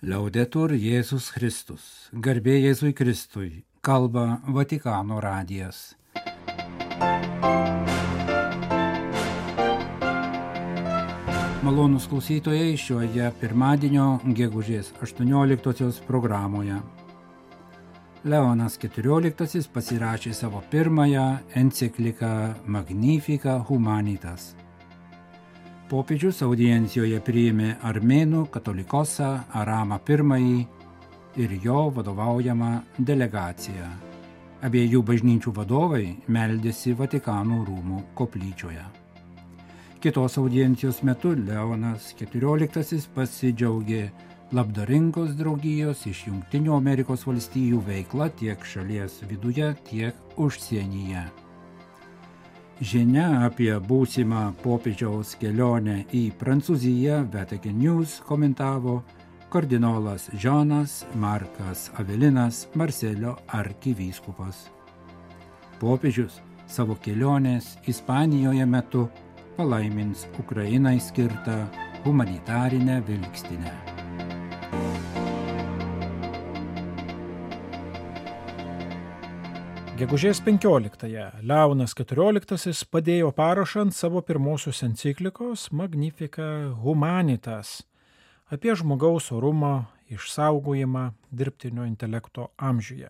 Liaudetur Jėzus Kristus, garbė Jėzui Kristui, kalba Vatikano radijas. Malonūs klausytojai šioje pirmadienio gegužės 18-osios programoje. Leonas XIV pasirašė savo pirmąją encikliką Magnificat Humanitas. Popiežius audiencijoje priėmė armėnų katolikosą Aramą I ir jo vadovaujamą delegaciją. Abiejų bažnyčių vadovai meldėsi Vatikano rūmų koplyčioje. Kitos audiencijos metu Leonas XIV pasidžiaugė labdaringos draugijos iš Jungtinių Amerikos valstijų veikla tiek šalies viduje, tiek užsienyje. Žinia apie būsimą popiežiaus kelionę į Prancūziją Vatican News komentavo kardinolas Žanas Markas Avelinas Marselio arkivyskupas. Popiežius savo kelionės Ispanijoje metu palaimins Ukrainai skirtą humanitarinę vilkstinę. Gegužės 15-ąją Leonas XIV padėjo parašą ant savo pirmosios enciklikos Magnificat Humanitas apie žmogaus orumo išsaugojimą dirbtinio intelekto amžiuje.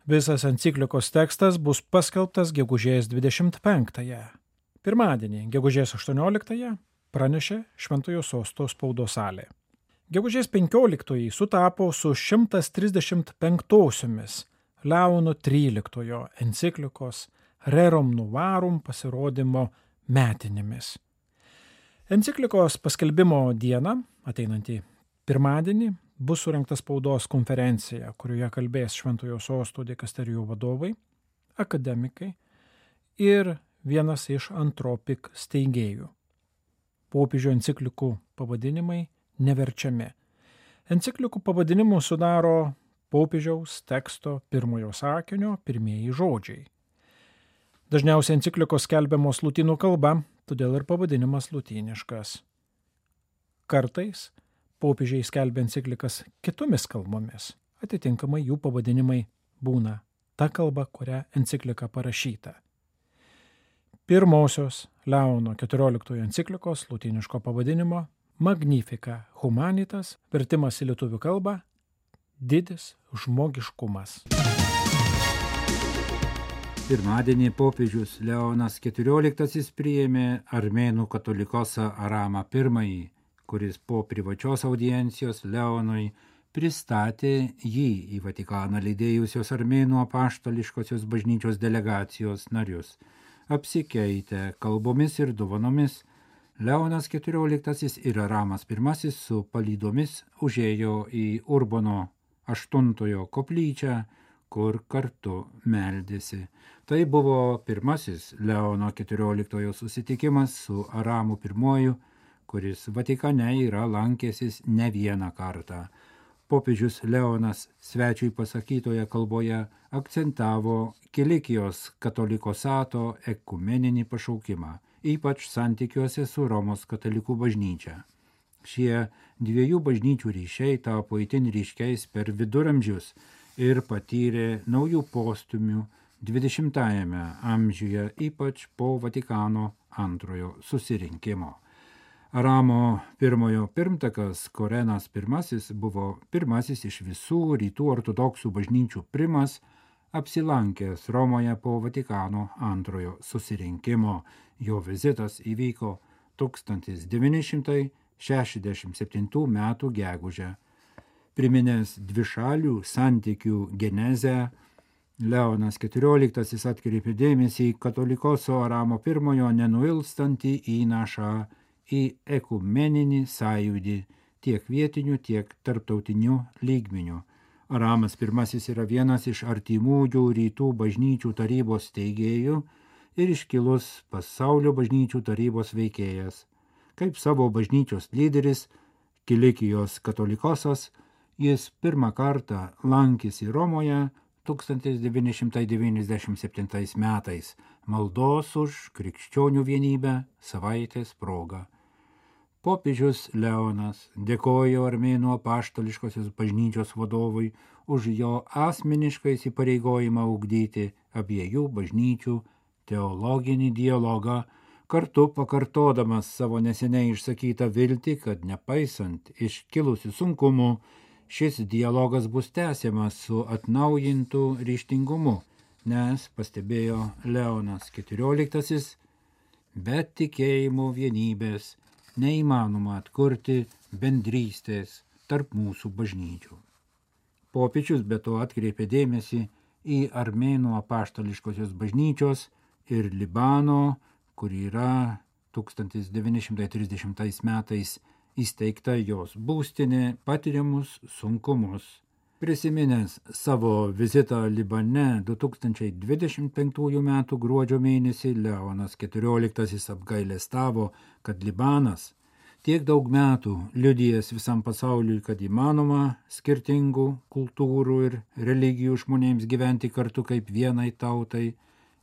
Visas enciklikos tekstas bus paskelbtas gegužės 25-ąją. Pirmadienį, gegužės 18-ąją, pranešė Šventojo Sosto spaudos salė. Gegužės 15-oji sutapo su 135-osiomis Leono XIII enciklikos Rerum Novarum pasirodymo metinėmis. Enciklikos paskelbimo dieną, ateinantį pirmadienį, bus surengta spaudos konferencija, kurioje kalbės Šventojo Sosto dikasterijų vadovai, akademikai ir vienas iš Antropik steigėjų. Popiežių enciklikų pavadinimai neverčiami. Enciklikų pavadinimų sudaro popiežiaus teksto pirmojo sakinio pirmieji žodžiai. Dažniausiai enciklikos skelbiamos lotynų kalba, todėl ir pavadinimas lotyniškas. Kartais popiežiai skelbia enciklikas kitomis kalbomis, atitinkamai jų pavadinimai būna ta kalba, kuria enciklika parašyta. Pirmosios Leono XIV enciklikos lotyniško pavadinimo Magnificat Humanitas, vertimas į lietuvių kalbą Didis žmogiškumas. Pirmadienį popiežius Leonas XIV priėmė armėnų katolikosą Aramą I, kuris po privačios audiencijos Leonui pristatė jį į Vatikaną lydėjusios armėnų apaštališkosios bažnyčios delegacijos narius. Apsikeitę kalbomis ir dovanomis, Leonas XIV ir Aramas I su palydomis užėjo į Urbono VIII koplyčią, kur kartu meldėsi. Tai buvo pirmasis Leono XIV susitikimas su Aramu I, kuris Vatikane yra lankęsis ne vieną kartą. Popiežius Leonas svečiui pasakytoje kalboje akcentavo Kilikijos katolikosato ekumeninį pašaukimą, ypač santykiuose su Romos katalikų bažnyčia. Šie dviejų bažnyčių ryšiai tapo itin ryškiais per viduramžius ir patyrė naujų postūmių 20-ajame amžiuje, ypač po Vatikano antrojo susirinkimo. Aramo I pirmtakas Korenas I buvo pirmasis iš visų rytų ortodoksų bažnyčių primas, apsilankęs Romoje po Vatikano antrojo susirinkimo. Jo vizitas įvyko 1967 metų gegužę. Priminęs dvišalių santykių genezę, Leonas XIV atkreipė dėmesį į katolikoso Aramo I nenuilstantį įnašą į ekumeninį sąjūdį tiek vietinių, tiek tarptautinių lygmenių. Aramas I yra vienas iš artimųjų rytų bažnyčių tarybos steigėjų ir iškilus pasaulio bažnyčių tarybos veikėjas. Kaip savo bažnyčios lyderis, Kilikijos katolikosas, jis pirmą kartą lankėsi Romoje 1997 metais maldos už krikščionių vienybę savaitės proga. Popiežius Leonas dėkojo Armėnų apaštališkosios bažnyčios vadovui už jo asmenišką įsipareigojimą ugdyti abiejų bažnyčių teologinį dialogą, kartu pakartodamas savo neseniai išsakytą viltį, kad nepaisant iškilusių sunkumų, šis dialogas bus tęsiamas su atnaujintu ryžtingumu, nes, pastebėjo Leonas XIV, be tikėjimo vienybės neįmanoma atkurti bendrystės tarp mūsų bažnyčių. Popiežius be to atkreipė dėmesį į Armėnų apaštališkosios bažnyčios ir Libano, kur yra 1930 metais įsteigta jos būstinė, patiriamus sunkumus. Prisiminęs savo vizitą Libane 2025 m. gruodžio mėnesį, Leonas XIV apgailestavo, kad Libanas tiek daug metų liudijęs visam pasauliui, kad įmanoma skirtingų kultūrų ir religijų žmonėms gyventi kartu kaip vienai tautai,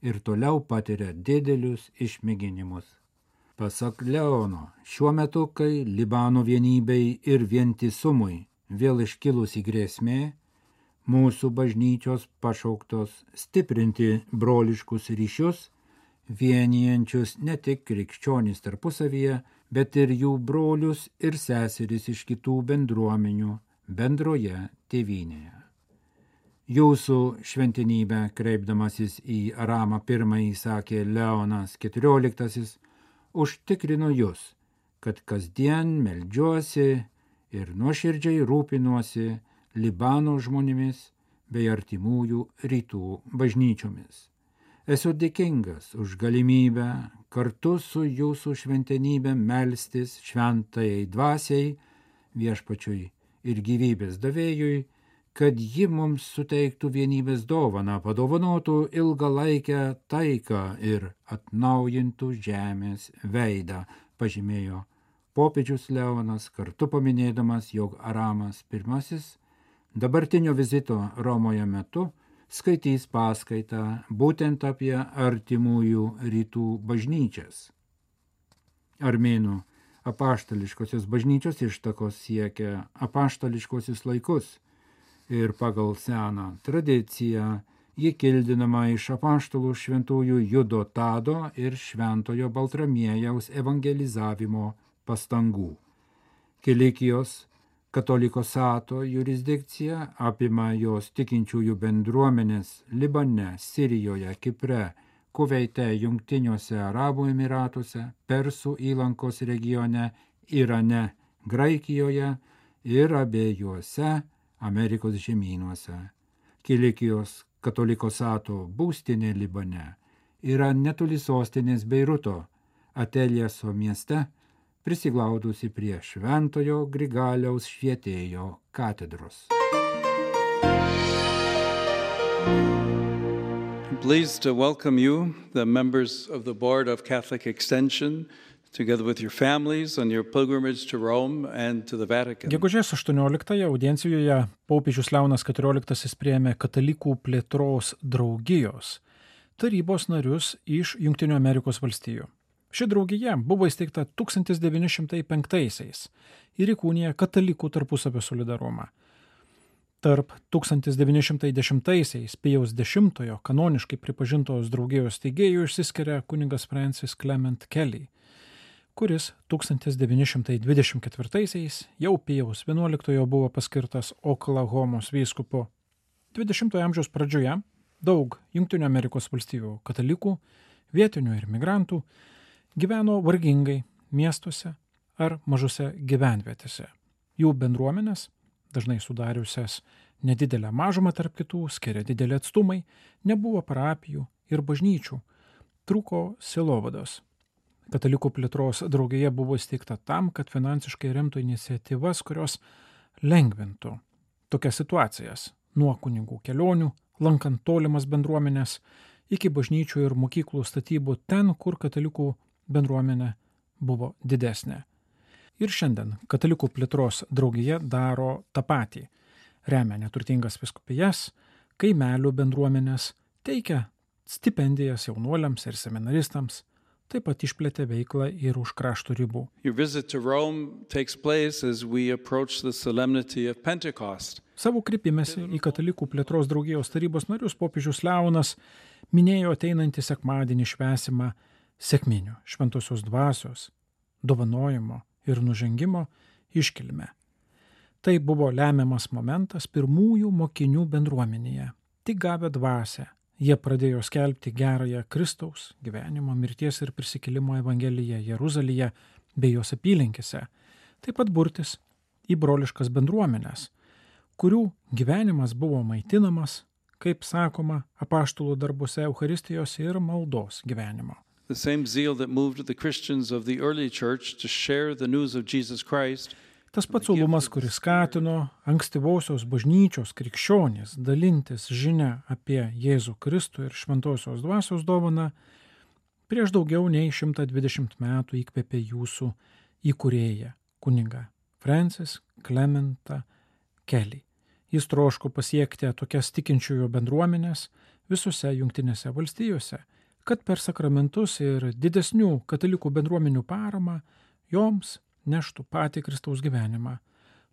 ir toliau patiria didelius išmėginimus. Pasak Leono, šiuo metu, kai Libano vienybei ir vientisumui vėl iškilusi grėsmė, mūsų bažnyčios pašauktos stiprinti broliškus ryšius, vienijančius ne tik krikščionys tarpusavyje, bet ir jų brolius ir seseris iš kitų bendruomenių bendroje tėvynėje. Jūsų šventenybę, kreipdamasis į Aramą I, sakė Leonas XIV, užtikrinu jūs, kad kasdien meldžiuosi ir nuoširdžiai rūpinuosi Libano žmonėmis bei artimųjų rytų bažnyčiomis. Esu dėkingas už galimybę kartu su jūsų šventenybė melstis šventajai dvasiai, viešpačiui ir gyvybės davėjui, kad ji mums suteiktų vienybės dovaną, padovanotų ilgalaikę taiką ir atnaujintų žemės veidą, pažymėjo popiežius Leonas, kartu paminėdamas, jog Aramas I dabartinio vizito Romoje metu skaitys paskaitą būtent apie artimųjų rytų bažnyčias. Armėnų apaštališkosios bažnyčios ištakos siekia apaštališkosius laikus ir pagal seną tradiciją ji kildinama iš apaštalų šventųjų Judo Tado ir šventojo Baltramiejaus evangelizavimo pastangų. Kilikijos Katolikosato jurisdikcija apima jos tikinčiųjų bendruomenės Libane, Sirijoje, Kipre, Kuveite, Jungtiniuose Arabų Emiratuose, Persų įlankos regione, Irane, Graikijoje ir abiejuose Amerikos žemynuose. Kilikijos Katolikosato būstinė Libane yra netoli sostinės Beiruto, Ateljeso mieste, prisiglaudusi prie Šventojo Grigaliaus Švietėjo katedros. I'm pleased to welcome you, the members of the Board of Catholic Extension, together with your families on your pilgrimage to Rome and to the Vatican. Gegužės 18 audiencijoje popiežius Leonas XIV priėmė Katalikų plėtros draugijos tarybos narius iš Jungtinių Amerikos valstijų. Ši draugija buvo įsteigta 1905-aisiais ir įkūnija katalikų tarpusavio solidarumą. Tarp 1910-aisiais Pijaus X kanoniškai pripažintos draugijos steigėjų išsiskiria kunigas Francis Clement Kelly, kuris 1924-aisiais jau Pijaus XI buvo paskirtas Oklahomos vyskupu. 20-ojo amžiaus pradžioje daug Jungtinių Amerikos valstijų katalikų, vietinių ir migrantų gyveno vargingai miestuose ar mažose gyvenvietėse. Jų bendruomenės, dažnai sudariusias nedidelę mažumą tarp kitų, skiria dideli atstumai, nebuvo parapijų ir bažnyčių, trūko sielovados. Katalikų plėtros draugija buvo įsteigta tam, kad finansiškai remtų iniciatyvas, kurios lengvintų tokias situacijas nuo kunigų kelionių, lankant tolimas bendruomenės, iki bažnyčių ir mokyklų statybų ten, kur katalikų bendruomenė buvo didesnė. Ir šiandien Katalikų plėtros draugija daro tą patį. Remia neturtingas vyskupijas, kaimelių bendruomenės, teikia stipendijas jaunuoliams ir seminaristams, taip pat išplėtė veiklą ir už krašto ribų. Your visit to Rome takes place as we approach the solemnity of Pentecost. Savo kreipimęsi į Katalikų plėtros draugijos tarybos narius popiežius Leonas minėjo ateinantį sekmadienį švęsimą sekminių, šventosios dvasios, dovanojimo ir nužengimo iškilmę. Tai buvo lemiamas momentas pirmųjų mokinių bendruomenėje. Tik gavę dvasią, jie pradėjo skelbti gerąją Kristaus gyvenimo, mirties ir prisikėlimo evangeliją Jeruzalėje bei jos apylinkėse, taip pat burtis į broliškas bendruomenes, kurių gyvenimas buvo maitinamas, kaip sakoma, apaštalų darbuose Eucharistijos ir maldos gyvenimo. The same zeal that moved the Christians of the early church to share the news of Jesus Christ. Tas pats uolumas, kuris skatino ankstyvosios bažnyčios krikščionys dalintis žinia apie Jėzų Kristų ir šventosios dvasios dovaną, prieš daugiau nei 120 metų įkvėpė jūsų įkūrėją, kunigą Francis Clementą Kelly. Jis troško pasiekti tokias tikinčiųjų bendruomenės visose Jungtinėse valstijose, kad per sakramentus ir didesnių katalikų bendruomenių paramą joms neštų patį Kristaus gyvenimą.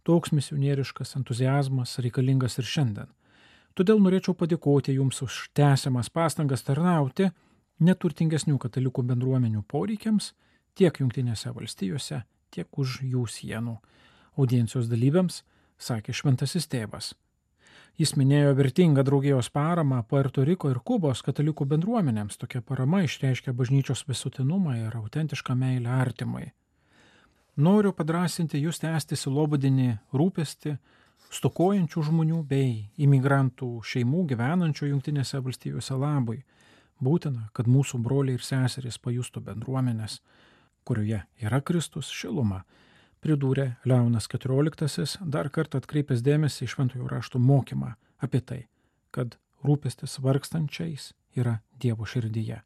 Toks misionieriškas entuziazmas reikalingas ir šiandien. Todėl norėčiau padėkoti jums už tęsiamas pastangas tarnauti neturtingesnių katalikų bendruomenių poreikiams tiek Jungtinėse valstijose, tiek už jų sienų. Audiencijos dalyviams sakė šventasis tėvas. Jis minėjo vertingą draugijos paramą Puerto Riko ir Kubos katalikų bendruomenėms. Tokia parama išreiškia bažnyčios visuotinumą ir autentišką meilę artimui. Noriu padrasinti jūs tęsti sielovadinį rūpestį stokojančių žmonių bei imigrantų šeimų gyvenančių Jungtinėse valstijose labui. Būtina, kad mūsų broliai ir seserys pajustų bendruomenės, kurioje yra Kristus, šilumą, pridūrė Leonas XIV, dar kartą atkreipęs dėmesį į šventojo rašto mokymą apie tai, kad rūpestis vargstančiais yra Dievo širdyje.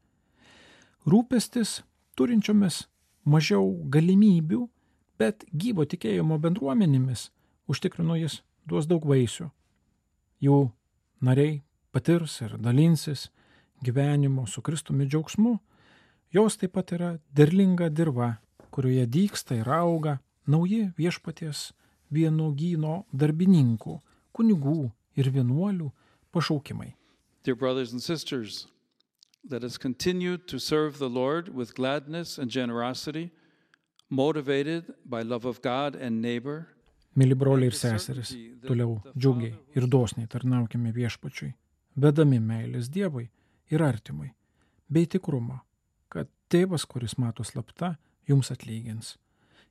Rūpestis turinčiomis mažiau galimybių, bet gyvo tikėjimo bendruomenėmis, užtikrino jis, duos daug vaisių. Jų nariai patirs ir dalinsis gyvenimo su Kristumi džiaugsmu. Jos taip pat yra derlinga dirva, kurioje dygsta ir auga nauji viešpaties vynuogyno darbininkų, kunigų ir vienuolių pašaukimai. Dear brothers and sisters, let us continue to serve the Lord with gladness and generosity, motivated by love of God and neighbor. Mili broliai ir seserys, toliau džiugiai ir dosniai tarnaukime viešpačiui, vedami meilės Dievui ir artimui, bei tikrumo, kad tėvas, kuris mato slapta, jums atlygins.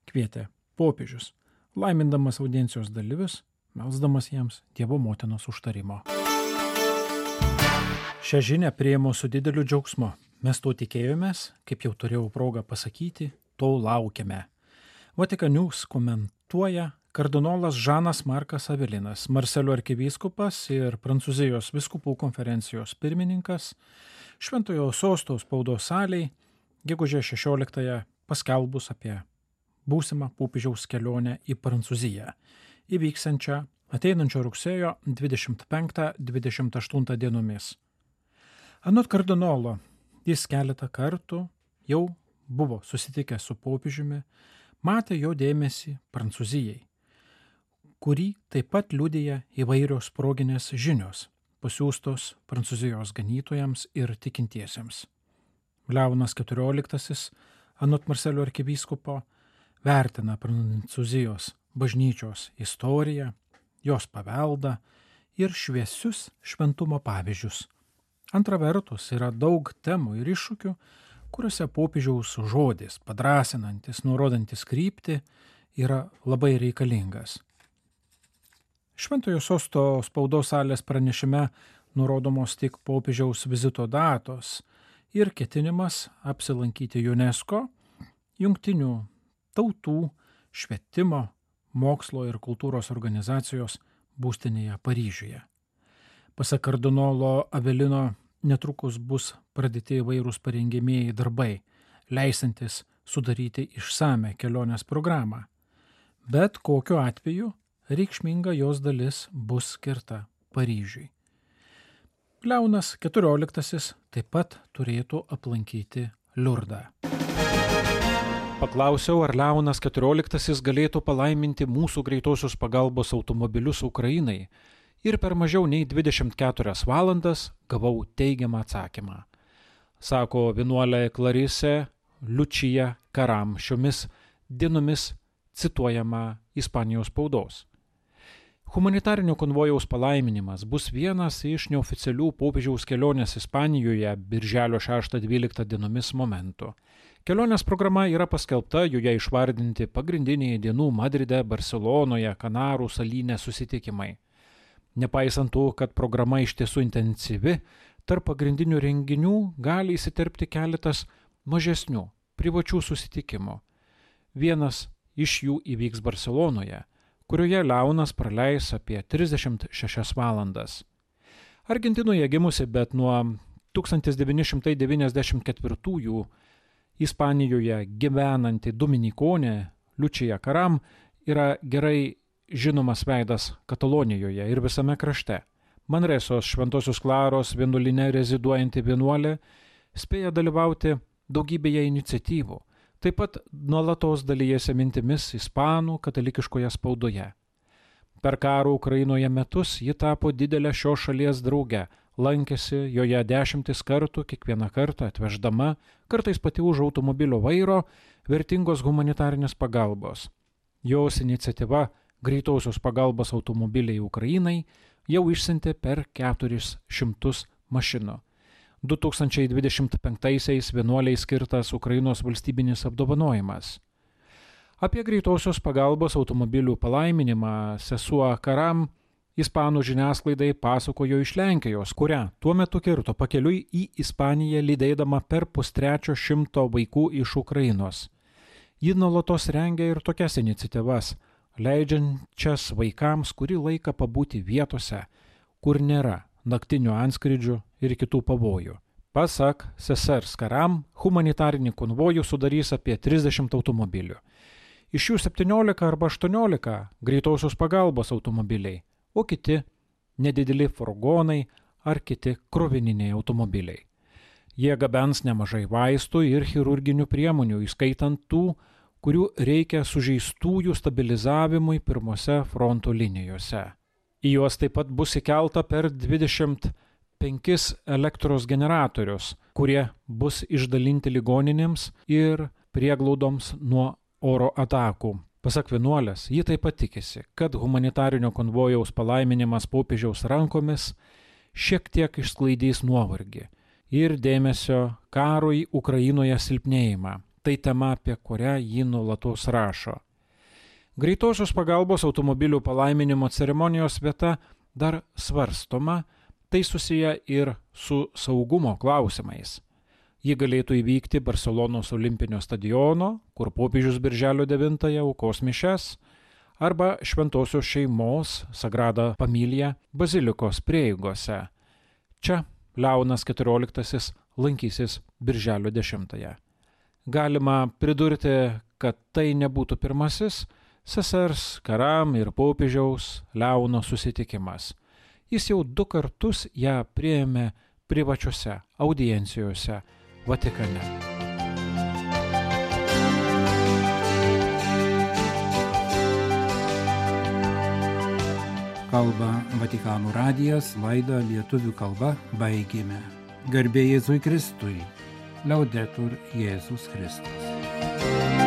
Kvietė popiežius, laimindamas audiencijos dalyvius, melsdamas jiems Dievo motinos užtarimo. Šią žinią priėmiau su dideliu džiaugsmu. Mes to tikėjomės, kaip jau turėjau progą pasakyti, to laukiame. Vatican News komentuoja kardinolas Žanas Markas Avelinas, Marselio arkivyskupas ir Prancūzijos vyskupų konferencijos pirmininkas, Šventojo Sosto spaudos salėj gegužės 16 paskelbus apie būsimą popiežiaus kelionę į Prancūziją, įvyksiančią ateinančio rugsėjo 25-28 dienomis. Anot kardinolo, jis keletą kartų jau buvo susitikęs su popiežiumi, matė jo dėmesį Prancūzijai, kurį taip pat liudija įvairios proginės žinios, pasiūstos Prancūzijos ganytojams ir tikintiesiems. Leonas XIV, anot Marselio arkivyskupo, vertina Prancūzijos bažnyčios istoriją, jos paveldą ir šviesius šventumo pavyzdžius. Antra vertus, yra daug temų ir iššūkių, kuriuose popiežiaus žodis, padrasinantis, nurodantis kryptį, yra labai reikalingas. Šventojo Sosto spaudos salės pranešime nurodomos tik popiežiaus vizito datos ir ketinimas apsilankyti UNESCO, Jungtinių tautų švietimo, mokslo ir kultūros organizacijos būstinėje Paryžiuje. Pasak kardinolo Avelino, netrukus bus pradėti įvairūs parengiamieji darbai, leisantis sudaryti išsame kelionės programą. Bet kokiu atveju reikšminga jos dalis bus skirta Paryžiui. Leonas XIV taip pat turėtų aplankyti Liurdą. Paklausiau, ar Leonas XIV galėtų palaiminti mūsų greitosios pagalbos automobilius Ukrainai ir per mažiau nei 24 valandas gavau teigiamą atsakymą. Sako vienuolė Clarise Lucia Caram, šiomis dienomis cituojama Ispanijos spaudos. Humanitarinio konvojaus palaiminimas bus vienas iš neoficialių popiežiaus kelionės Ispanijoje birželio 6-12 dienomis momentų. Kelionės programa yra paskelbta, joje išvardinti pagrindiniai dienų Madride, Barcelonoje, Kanarų salyne susitikimai. Nepaisant to, kad programa iš tiesų intensyvi, tarp pagrindinių renginių gali įsiterpti keletas mažesnių, privačių susitikimų. Vienas iš jų įvyks Barcelonoje, kurioje Leonas praleis apie 36 valandas. Argentinoje gimusi, bet nuo 1994 Ispanijoje gyvenanti dominikonė Lucia Caram yra gerai žinomas veidas Katalonijoje ir visame krašte. Manresos Šventosios Klaros vienuolyne reziduojanti vienuolė spėja dalyvauti daugybėje iniciatyvų, taip pat nuolatos dalijasi mintimis ispanų katalikiškoje spaudoje. Per karo Ukrainoje metus ji tapo didelę šios šalies drauge, lankėsi joje 10 kartų, kiekvieną kartą atveždama, kartais pati už automobilio vairo, vertingos humanitarinės pagalbos. Jos iniciatyva greitosios pagalbos automobiliai Ukrainai jau išsiuntė per 400 mašinų. 2025-aisiais vienuoliai skirtas Ukrainos valstybinis apdovanojimas. Apie greitosios pagalbos automobilių palaiminimą sesuo Caram ispanų žiniasklaidai pasakojo iš Lenkijos, kurią tuo metu kirto pakeliui į Ispaniją lydėdama per 100 vaikų iš Ukrainos. Ji nuolatos rengia ir tokias iniciatyvas, leidžiančias vaikams kurį laiką pabūti vietose, kur nėra naktinių antskrydžių ir kitų pavojų. Pasak sesers Caram, humanitarinį konvojų sudarys apie 30 automobilių. Iš jų 17 arba 18 greitosios pagalbos automobiliai, o kiti nedideli furgonai ar kiti krovininiai automobiliai. Jie gabens nemažai vaistų ir chirurginių priemonių, įskaitant tų, kurių reikia sužeistųjų stabilizavimui pirmose fronto linijose. Į juos taip pat bus įkelta per 25 elektros generatorius, kurie bus išdalinti ligoninėms ir prieglaudoms nuo oro atakų. Pasak vienuolės, ji taip pat tikisi, kad humanitarinio konvojaus palaiminimas popiežiaus rankomis šiek tiek išsklaidys nuovargį ir dėmesio karui Ukrainoje silpnėjimą. Tai tema, apie kurią ji nuolatos rašo. Greitosios pagalbos automobilių palaiminimo ceremonijos vieta dar svarstoma, tai susiję ir su saugumo klausimais. Ji galėtų įvykti Barcelonos olimpinio stadiono, kur popiežius birželio 9 aukos mišias, arba Šventosios šeimos Sagrada Familia bazilikos prieigose. Čia Leonas XIV lankysis birželio 10. Galima pridurti, kad tai nebūtų pirmasis sesers Caram ir popiežiaus Leono susitikimas. Jis jau 2 kartus ją priėmė privačiose audiencijose Vatikane. Kalba Vatikano radijas, laidą lietuvių kalba baigėme. Garbė Jėzui Kristui. Laudetur Jėzus Kristus.